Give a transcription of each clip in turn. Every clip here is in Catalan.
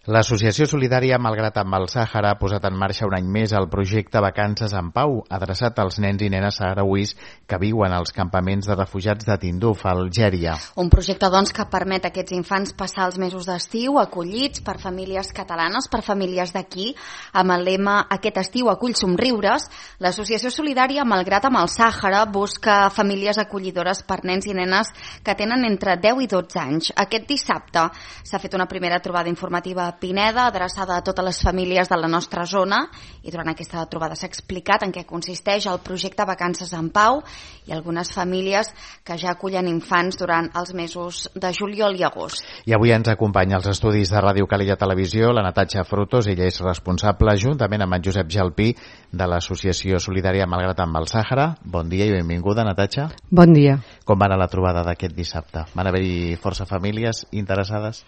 L'Associació Solidària Malgrat amb el Sàhara ha posat en marxa un any més el projecte Vacances en Pau, adreçat als nens i nenes saharauis que viuen als campaments de refugiats de Tinduf, a Algèria. Un projecte, doncs, que permet a aquests infants passar els mesos d'estiu acollits per famílies catalanes, per famílies d'aquí, amb el lema "Aquest estiu acull somriures". L'Associació Solidària Malgrat amb el Sàhara busca famílies acollidores per nens i nenes que tenen entre 10 i 12 anys. Aquest dissabte s'ha fet una primera trobada informativa a Pineda, adreçada a totes les famílies de la nostra zona, i durant aquesta trobada s'ha explicat en què consisteix el projecte Vacances en Pau i algunes famílies que ja acullen infants durant els mesos de juliol i agost. I avui ens acompanya als estudis de Ràdio Calella Televisió la Natatxa Frutos. Ella és responsable, juntament amb en Josep Jalpí, de l'Associació Solidària Malgrat amb el Sàhara. Bon dia i benvinguda, Natatxa. Bon dia. Com va anar la trobada d'aquest dissabte? Van haver-hi força famílies interessades?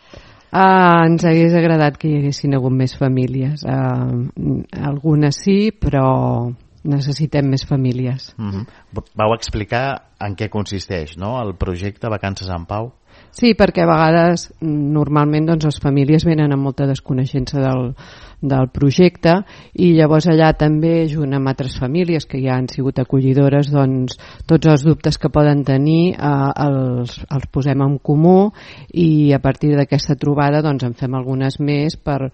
Ens hagués agradat que hi haguessin hagut més famílies. Algunes sí, però necessitem més famílies. Vau explicar en què consisteix, no?, el projecte Vacances en Pau? Sí, perquè a vegades, normalment, doncs, les famílies venen amb molta desconeixença del projecte, i llavors allà també, junt amb altres famílies que ja han sigut acollidores, doncs tots els dubtes que poden tenir els posem en comú, i a partir d'aquesta trobada doncs en fem algunes més per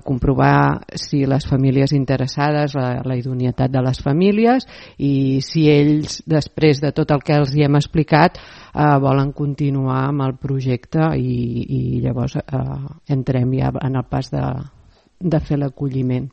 comprovar si les famílies interessades, la idoneïtat de les famílies, i si ells, després de tot el que els hi hem explicat, volen continuar amb el projecte, i llavors entrem ja en el pas de fer l'acolliment.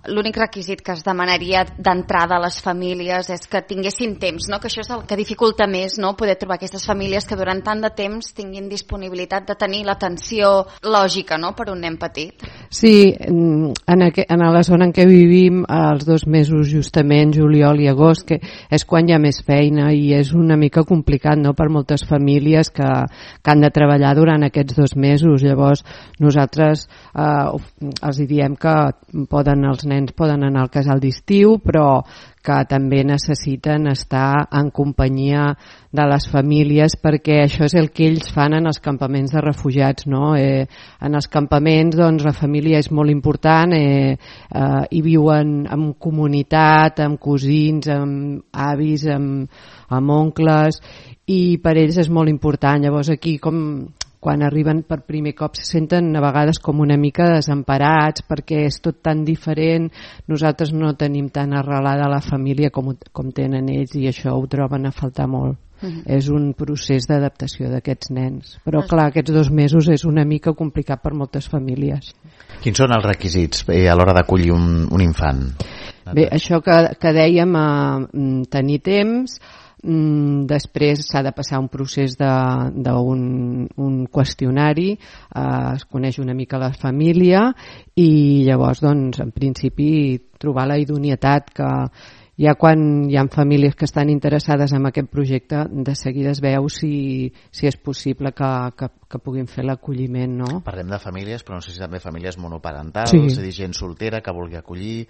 L'únic requisit que es demanaria d'entrada a les famílies és que tinguessin temps, no? Que això és el que dificulta més, no? Poder trobar aquestes famílies que durant tant de temps tinguin disponibilitat de tenir l'atenció lògica, no?, per un nen petit. Sí, en la zona en què vivim, els 2 mesos justament, juliol i agost, que és quan hi ha més feina, i és una mica complicat, no?, per moltes famílies que han de treballar durant aquests 2 mesos. Llavors nosaltres els diem que els nens poden anar al casal d'estiu, però que també necessiten estar en companyia de les famílies, perquè això és el que ells fan en els campaments de refugiats, no? En els campaments, doncs, la família és molt important, hi viuen en comunitat, amb cosins, amb avis, amb oncles, i per ells és molt important. Llavors aquí, quan arriben per primer cop, se senten a vegades com una mica desemparats, perquè és tot tan diferent. Nosaltres no tenim tan arrelada la família com tenen ells, i això ho troben a faltar molt. És un procés d'adaptació d'aquests nens, però clar, aquests 2 mesos és una mica complicat per moltes famílies. Quins són els requisits a l'hora d'acollir un infant? Bé, això que dèiem, tenir temps. Després s'ha de passar un procés d'un qüestionari, es coneix una mica la família, i llavors, doncs, en principi, trobar la idoneïtat, que ja quan hi ha famílies que estan interessades en aquest projecte, de seguida es veu si és possible que puguin fer l'acolliment, no? Parlem de famílies, però no sé si també famílies monoparentals, sí. És a dir, gent soltera que vulgui acollir,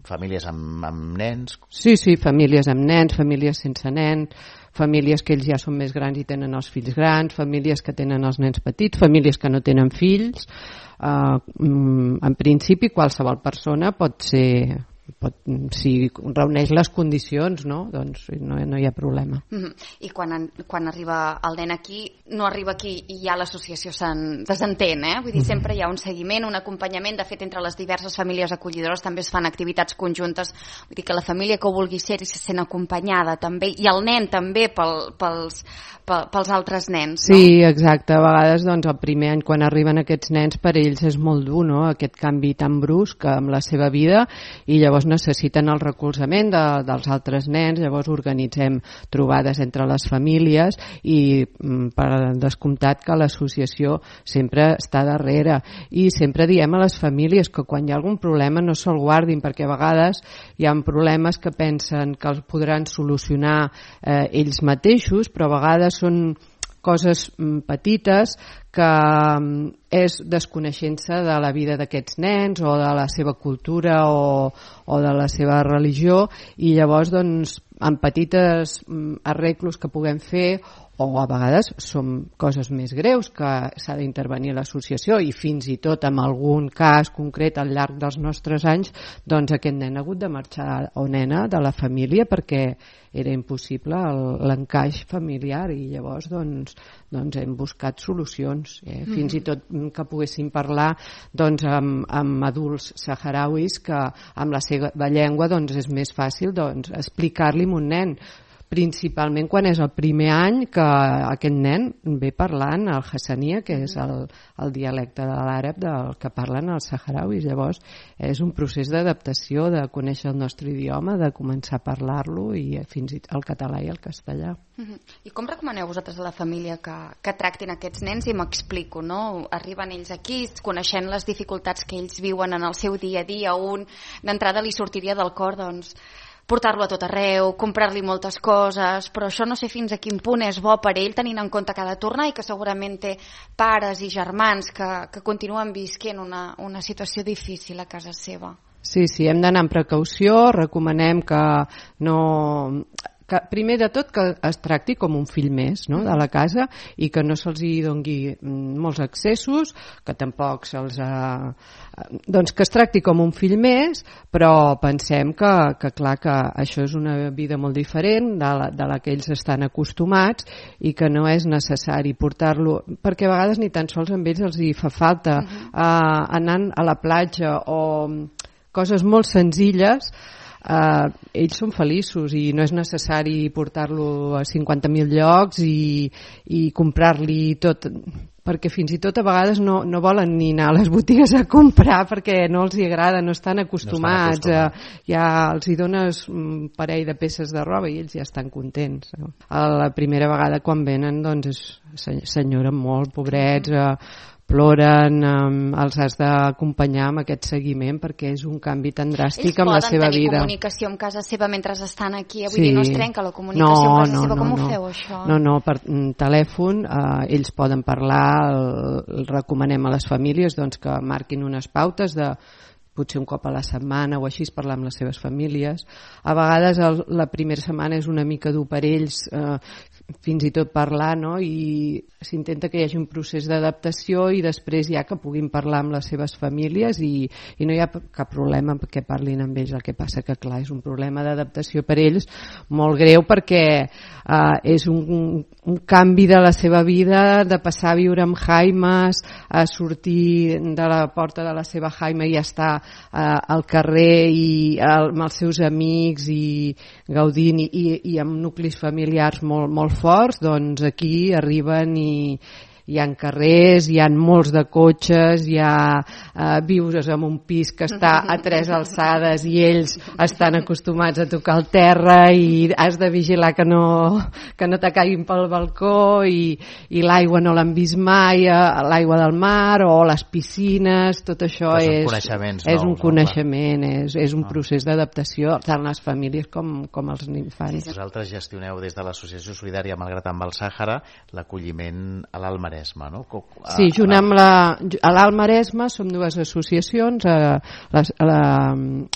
famílies amb nens? Sí, famílies amb nens, famílies sense nens, famílies que ells ja són més grans i tenen els fills grans, famílies que tenen els nens petits, famílies que no tenen fills. En principi, qualsevol persona pot ser... si reuneix les condicions, no? Doncs no hi ha problema. I quan arriba el nen aquí, no arriba aquí i ja l'associació se'n desentén, Vull dir, sempre hi ha un seguiment, un acompanyament. De fet, entre les diverses famílies acollidores també es fan activitats conjuntes. Vull dir que la família que ho vulgui ser se sent acompanyada també, i el nen també pels altres nens, no? Sí, exacte. A vegades, doncs, el primer any quan arriben aquests nens, per ells és molt dur, no?, aquest canvi tan brusc amb la seva vida, i llavors necessiten el recolzament dels altres nens. Llavors organitzem trobades entre les famílies, i per descomptat que l'associació sempre està darrere, i sempre diem a les famílies que quan hi ha algun problema no se'l guardin, perquè a vegades hi ha problemes que pensen que els podran solucionar ells mateixos, però a vegades són coses petites que és desconeixença de la vida d'aquests nens o de la seva cultura o de la seva religió, i llavors, doncs, amb petites arreglos que puguem fer o a vegades són coses més greus que s'ha d'intervenir l'associació, i fins i tot en algun cas concret al llarg dels nostres anys, doncs aquest nen ha hagut de marxar, o nena, de la família perquè era impossible l'encaix familiar, i llavors doncs hem buscat solucions, fins i tot que poguessin parlar doncs, amb adults saharauis que amb la seva llengua doncs, és més fàcil doncs, explicar-li a un nen, principalment quan és el primer any que aquest nen ve parlant el hassania, que és el dialecte de l'àrab del que parlen els saharauis. Llavors és un procés d'adaptació, de conèixer el nostre idioma, de començar a parlar-lo, i fins i tot el català i el castellà. I com recomaneu vosaltres a la família que tractin aquests nens? I m'explico, no? Arriben ells aquí, coneixent les dificultats que ells viuen en el seu dia a dia, d'entrada li sortiria del cor doncs portar-lo a tot arreu, comprar-li moltes coses, però això no sé fins a quin punt és bo per ell, tenint en compte que ha de tornar i que segurament té pares i germans que continuen visquent una situació difícil a casa seva. Sí, hem d'anar amb precaució, recomanem que primer de tot que es tracti com un fill més, no?, de la casa, i que no se'ls hi doni molts accessos, que tampoc doncs que es tracti com un fill més, però pensem que clar, que això és una vida molt diferent de la que ells estan acostumats, i que no és necessari portar-lo, perquè a vegades ni tan sols amb ells els hi fa falta anant a la platja o coses molt senzilles. Ells són feliços i no és necessari portar-lo a 50.000 llocs i comprar-li tot, perquè fins i tot a vegades no volen ni anar a les botigues a comprar perquè no els hi agrada, no estan acostumats. Ja els hi dones un parell de peces de roba i ells ja estan contents. La primera vegada quan venen doncs s'enyoren molt, pobrets, ploren, els has d'acompanyar amb aquest seguiment perquè és un canvi tan dràstic amb la seva vida. Ells poden tenir comunicació amb casa seva mentre estan aquí? Vull dir, no es trenca la comunicació amb casa seva? Com ho feu, això? No, per telèfon ells poden parlar, recomanem a les famílies doncs, que marquin unes pautes de potser un cop a la setmana o així, parlar amb les seves famílies. A vegades la primera setmana és una mica dur per ells, fins i tot parlar, no? I s'intenta que hi hagi un procés d'adaptació i després ja que puguin parlar amb les seves famílies i no hi ha cap problema perquè parlin amb ells. El que passa que clar, és un problema d'adaptació per ells molt greu perquè és un canvi de la seva vida, de passar a viure amb jaimes, a sortir de la porta de la seva jaima i estar al carrer i amb els seus amics i gaudint i amb nuclis familiars molt forts. Doncs aquí arriben i hi ha carrers, hi ha molts de cotxes, vius en un pis que està a 3 alçades i ells estan acostumats a tocar el terra i has de vigilar que no te caiguin pel balcó i l'aigua no l'han vist mai, l'aigua del mar o les piscines, tot això és un coneixement, és un procés d'adaptació tant les famílies com els infants. Vosaltres gestioneu des de l'Associació Solidària Malgrat amb el Sàhara l'acolliment a l'Alt Maresme, no? Sí, junt amb a l'Alt Maresme som dues associacions, a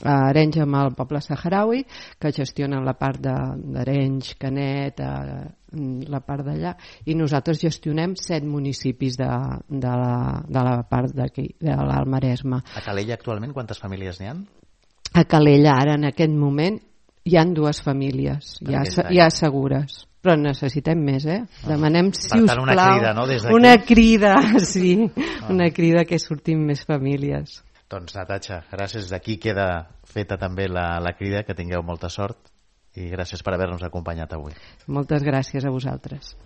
Arenys amb el poble saharaui, que gestionen la part d'Arenys, Canet, la part d'allà, i nosaltres gestionem 7 municipis de la part d'aquí, de l'Alt Maresme. A Calella actualment quantes famílies n'hi ha? A Calella ara en aquest moment hi ha 2 famílies ja segures, però necessitem més, Demanem, si us plau, una crida, no? Una crida, sí, una crida que sortim més famílies. Doncs Natatxa, gràcies. D'aquí queda feta també la crida, que tingueu molta sort i gràcies per haver-nos acompanyat avui. Moltes gràcies a vosaltres.